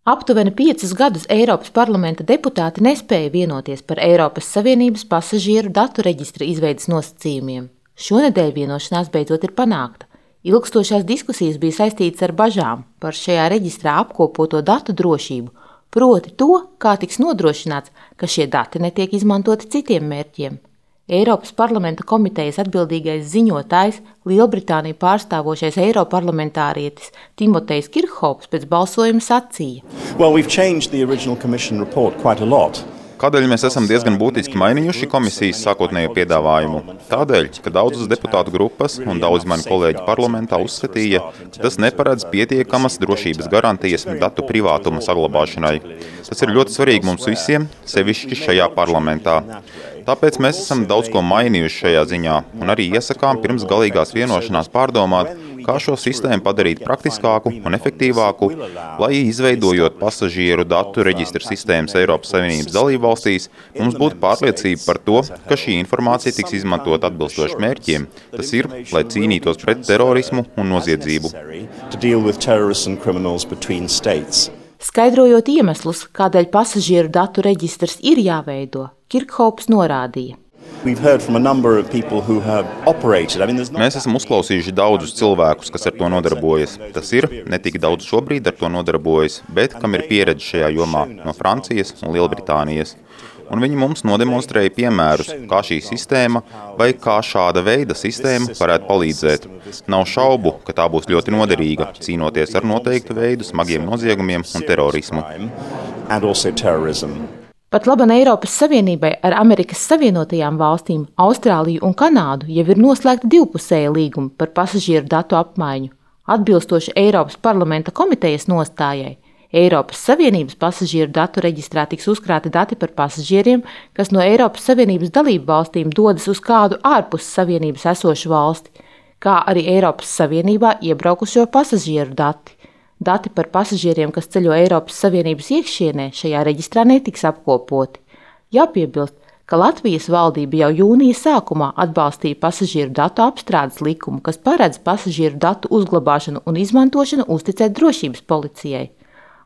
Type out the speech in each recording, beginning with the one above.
Aptuveni 5 gadus Eiropas parlamenta deputāti nespēja vienoties par Eiropas Savienības pasažieru datu reģistra izveides nosacījumiem. Šonedēļ vienošanās beidzot ir panākta. Ilgstošās diskusijas bija saistītas ar bažām par šajā reģistrā apkopoto datu drošību, proti to, kā tiks nodrošināts, ka šie dati netiek izmantoti citiem mērķiem. Eiropas parlamenta komitejas atbildīgais ziņotājs, Lielbritāniju pārstāvošais eiroparlamentārietis Timotejs Kirkhops pēc balsojuma sacīja: Kādēļ mēs esam diezgan būtiski mainījuši komisijas sākotnējo piedāvājumu? Tādēļ, ka daudzas deputātu grupas un daudzi mani kolēģi parlamentā uzskatīja, ka tas neparedz pietiekamas drošības garantijas datu privātuma saglabāšanai. Tas ir ļoti svarīgi mums visiem, sevišķi šajā parlamentā. Tāpēc mēs esam daudz ko mainījuši šajā ziņā un arī iesakām pirms galīgās vienošanās pārdomāt, kā šo sistēmu padarīt praktiskāku un efektīvāku, lai izveidojot pasažieru datu reģistra sistēmas Eiropas Savienības dalībvalstīs, mums būtu pārliecība par to, ka šī informācija tiks izmantot atbilstoši mērķiem. Tas ir, lai cīnītos pret terorismu un noziedzību. Skaidrojot iemeslus, kādēļ pasažieru datu reģistrs ir jāveido, Kirkhops norādīja: Mēs esam uzklausījuši daudzus cilvēkus, kas ar to nodarbojas. Tas ir, ne tik daudz šobrīd ar to nodarbojas, bet kam ir pieredze šajā jomā no Francijas un Lielbritānijas. Un viņi mums nodemonstrēja piemērus, kā šī sistēma vai kā šāda veida sistēma varētu palīdzēt. Nav šaubu, ka tā būs ļoti noderīga, cīnoties ar noteiktu veidu smagiem noziegumiem un terorismu. Pat laban Eiropas Savienībai ar Amerikas Savienotajām valstīm, Austrāliju un Kanādu jau ir noslēgta divpusēja līguma par pasažieru datu apmaiņu. Atbilstoši Eiropas parlamenta komitejas nostājai, Eiropas Savienības pasažieru datu reģistrā tiks uzkrāti dati par pasažieriem, kas no Eiropas Savienības dalību valstīm dodas uz kādu ārpus Savienības esošu valsti, kā arī Eiropas Savienībā iebraukušo pasažieru dati. Dati par pasažieriem, kas ceļo Eiropas Savienības iekšienē, šajā reģistrā netiks apkopoti. Jāpiebilst, ka Latvijas valdība jau jūnija sākumā atbalstīja pasažieru datu apstrādes likumu, kas paredz pasažieru datu uzglabāšanu un izmantošanu uzticēt drošības policijai.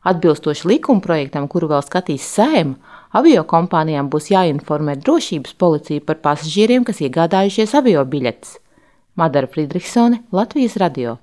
Atbilstoši likumprojektam, kuru vēl skatīs Saeima, aviokompānijām būs jāinformē drošības policija par pasažieriem, kas iegādājušies aviobiļetes. Madara Friedrichsone, Latvijas radio.